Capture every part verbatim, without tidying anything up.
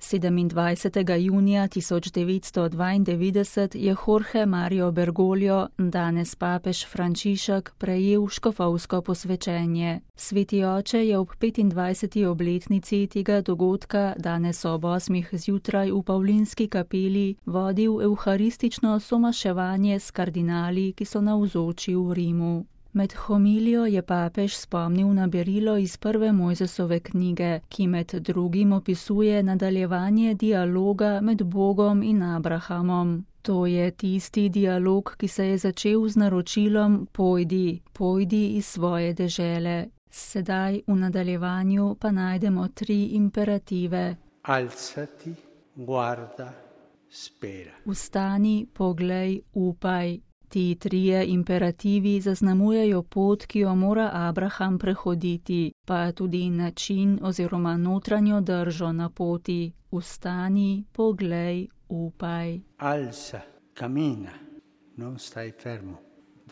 sedemindvajsetega junija tisoč devetsto dvaindevetdeset je Jorge Mario Bergoglio, danes papež Frančišek, prejel škofovsko posvečenje. Sveti oče je ob petindvajseti obletnici tega dogodka danes ob osmih zjutraj v Pavlinski kapeli vodil evharistično somaševanje s kardinali, ki so navzoči v Rimu. Med homilijo je papež spomnil na berilo iz prve Mojzesove knjige, ki med drugim opisuje nadaljevanje dialoga med Bogom in Abrahamom. To je tisti dialog, ki se je začel z naročilom pojdi, pojdi iz svoje dežele. Sedaj v nadaljevanju pa najdemo tri imperative. Alzati, guarda, spera. Vstani, poglej, upaj. Ti trije imperativi zaznamujejo pot, ki jo mora Abraham prehoditi, pa tudi način oziroma notranjo držo na poti. Vstani, poglej, upaj. Alza, cammina, non stai fermo.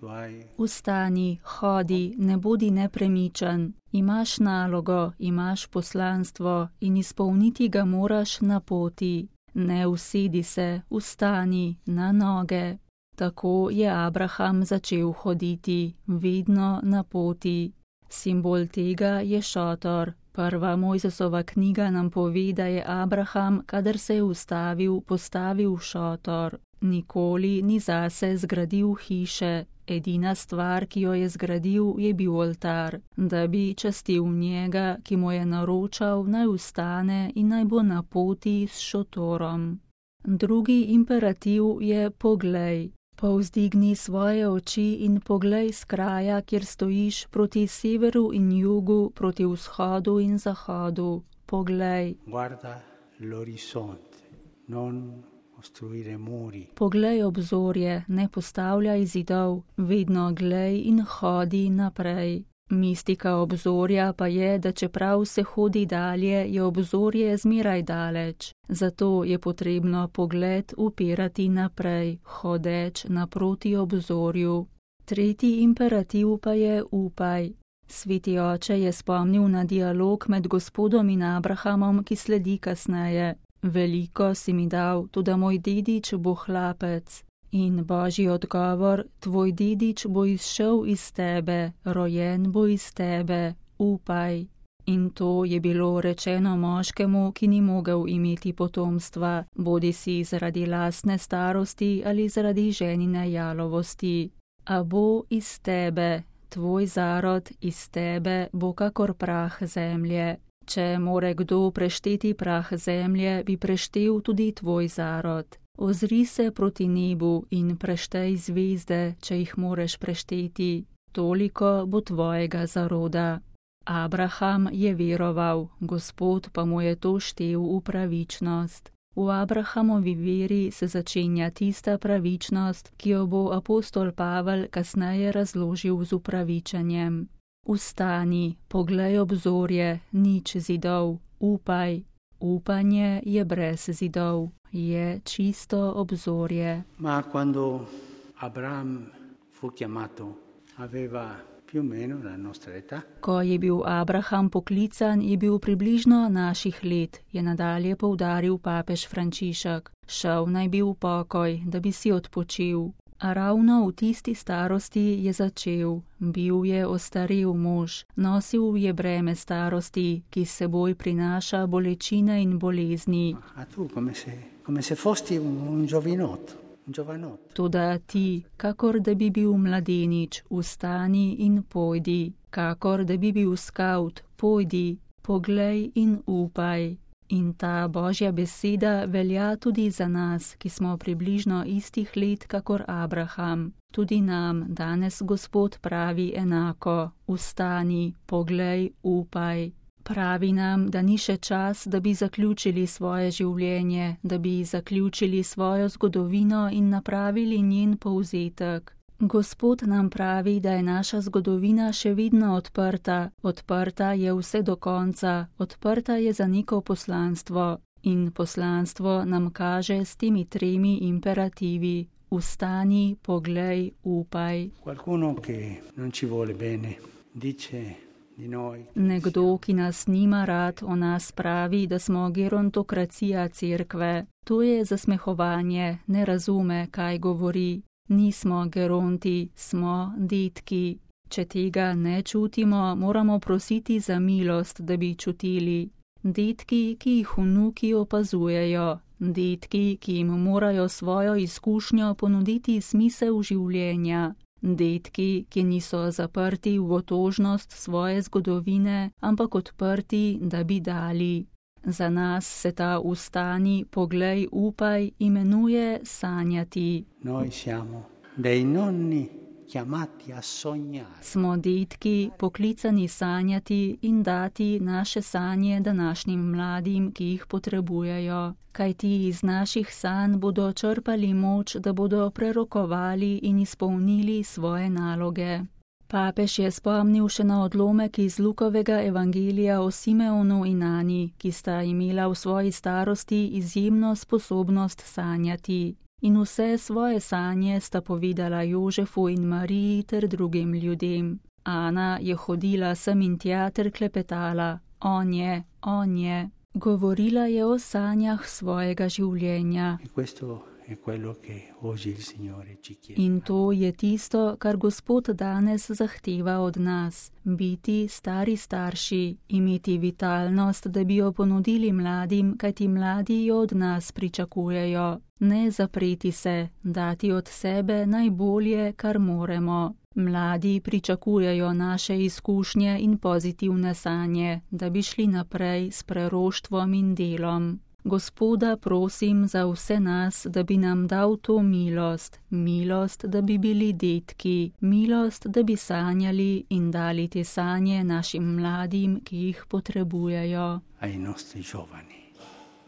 Hai... Vstani, hodi, ne bodi nepremičen. Imaš nalogo, imaš poslanstvo in izpolniti ga moraš na poti. Ne usedi se, vstani, na noge. Tako je Abraham začel hoditi, vedno na poti. Simbol tega je šotor. Prva Mojzesova knjiga nam pove, da je Abraham, kadar se je ustavil, postavil šotor. Nikoli ni zase zgradil hiše. Edina stvar, ki jo je zgradil, je bil oltar, da bi častil njega, ki mu je naročal, naj vstane in naj bo na poti s šotorom. Drugi imperativ je poglej. Povzdigni svoje oči in poglej s kraja, kjer stojiš, proti severu in jugu, proti vzhodu in zahodu. Poglej. Guarda l'orizzonte, non costruire muri. Poglej obzorje, ne postavljaj zidov, vedno glej in hodi naprej. Mistika obzorja pa je, da čeprav se hodi dalje, je obzorje zmeraj daleč. Zato je potrebno pogled upirati naprej, hodeč naproti obzorju. Tretji imperativ pa je upaj. Sveti oče je spomnil na dialog med Gospodom in Abrahamom, ki sledi kasneje. Veliko si mi dal, toda moj dedič bo hlapec. In Božji odgovor, tvoj dedič bo izšel iz tebe, rojen bo iz tebe, upaj. In to je bilo rečeno moškemu, ki ni mogel imeti potomstva, bodisi zaradi lastne starosti ali zaradi ženine jalovosti. A bo iz tebe, tvoj zarod iz tebe bo kakor prah zemlje. Če more kdo prešteti prah zemlje, bi preštel tudi tvoj zarod. Ozri se proti nebu in preštej zvezde, če jih moreš prešteti. Toliko bo tvojega zaroda. Abraham je veroval, Gospod pa mu je to štel v pravičnost. V Abrahamovi veri se začenja tista pravičnost, ki jo bo apostol Pavel kasneje razložil z upravičenjem. Vstani, poglej obzorje, nič zidov, upaj. Upanje je brez zidov, je čisto obzorje. Ma quando Abraham fu chiamato, aveva più o meno la nostra età. Ko je bil Abraham poklican, je bil približno naših let, je nadalje poudaril papež Frančišek. Šel naj bi v pokoj, da bi si odpočil. A ravno v tisti starosti je začel. Bil je ostarel mož, nosil je breme starosti, ki s seboj prinaša bolečine in bolezni. A tu, come se, come se fosti un giovinotto, un giovanotto. Toda ti, kakor da bi bil mladenič, vstani in pojdi. Kakor da bi bil skavt, pojdi, poglej in upaj. In ta Božja beseda velja tudi za nas, ki smo približno istih let kakor Abraham. Tudi nam danes Gospod pravi enako, vstani, poglej, upaj. Pravi nam, da ni še čas, da bi zaključili svoje življenje, da bi zaključili svojo zgodovino in napravili njen povzetek. Gospod nam pravi, da je naša zgodovina še vedno odprta, odprta je vse do konca, odprta je za neko poslanstvo. In poslanstvo nam kaže s temi tremi imperativi. Vstani, poglej, upaj. Qualcuno che non ci vuole bene dice Nekdo, ki nas nima rad, o nas pravi, da smo gerontokracija cerkve. To je zasmehovanje, ne razume, kaj govori. Nismo geronti, smo detki. Če tega ne čutimo, moramo prositi za milost, da bi čutili. Detki, ki jih vnuki opazujejo. Detki, ki jim morajo svojo izkušnjo ponuditi smisel življenja. Detki, ki niso zaprti v otožnost svoje zgodovine, ampak odprti, da bi dali. Za nas se ta ustani, poglej, upaj imenuje sanjati. Noi siamo dei nonni chiamati a sognare. Smo detki, poklicani sanjati in dati naše sanje današnjim mladim, ki jih potrebujejo. Kajti iz naših sanj bodo črpali moč, da bodo prerokovali in izpolnili svoje naloge. Papež je spomnil še na odlomek iz Lukovega evangelija o Simeonu in Ani, ki sta imela v svoji starosti izjemno sposobnost sanjati. In vse svoje sanje sta povedala Jožefu in Mariji ter drugim ljudem. Ana je hodila sem in tja ter klepetala. On je, on je. Govorila je o sanjah svojega življenja. In to je tisto, kar Gospod danes zahteva od nas. Biti stari starši, imeti vitalnost, da bi jo ponudili mladim, kajti mladi jo od nas pričakujejo. Ne zapreti se, dati od sebe najbolje, kar moremo. Mladi pričakujejo naše izkušnje in pozitivne sanje, da bi šli naprej s preroštvom in delom. Gospoda prosim za vse nas, da bi nam dal to milost, milost, da bi bili detki, milost, da bi sanjali in dali te sanje našim mladim, ki jih potrebujejo. Ai nostri giovani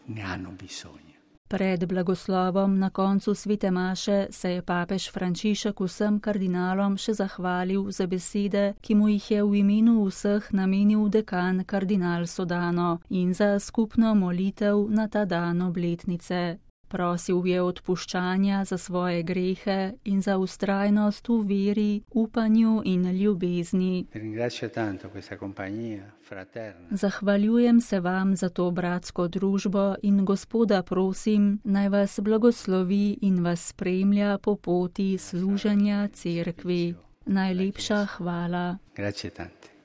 ne hanno bisogno. Pred blagoslovom na koncu svete maše se je papež Frančišek vsem kardinalom še zahvalil za besede, ki mu jih je v imenu vseh namenil dekan kardinal Sodano in za skupno molitev na ta dan obletnice. Prosil je odpuščanja za svoje grehe in za vztrajnost v veri, upanju in ljubezni. Zahvaljujem se vam za to bratsko družbo in Gospoda prosim, naj vas blagoslovi in vas spremlja po poti služenja cerkvi. Najlepša hvala. Grazie tante.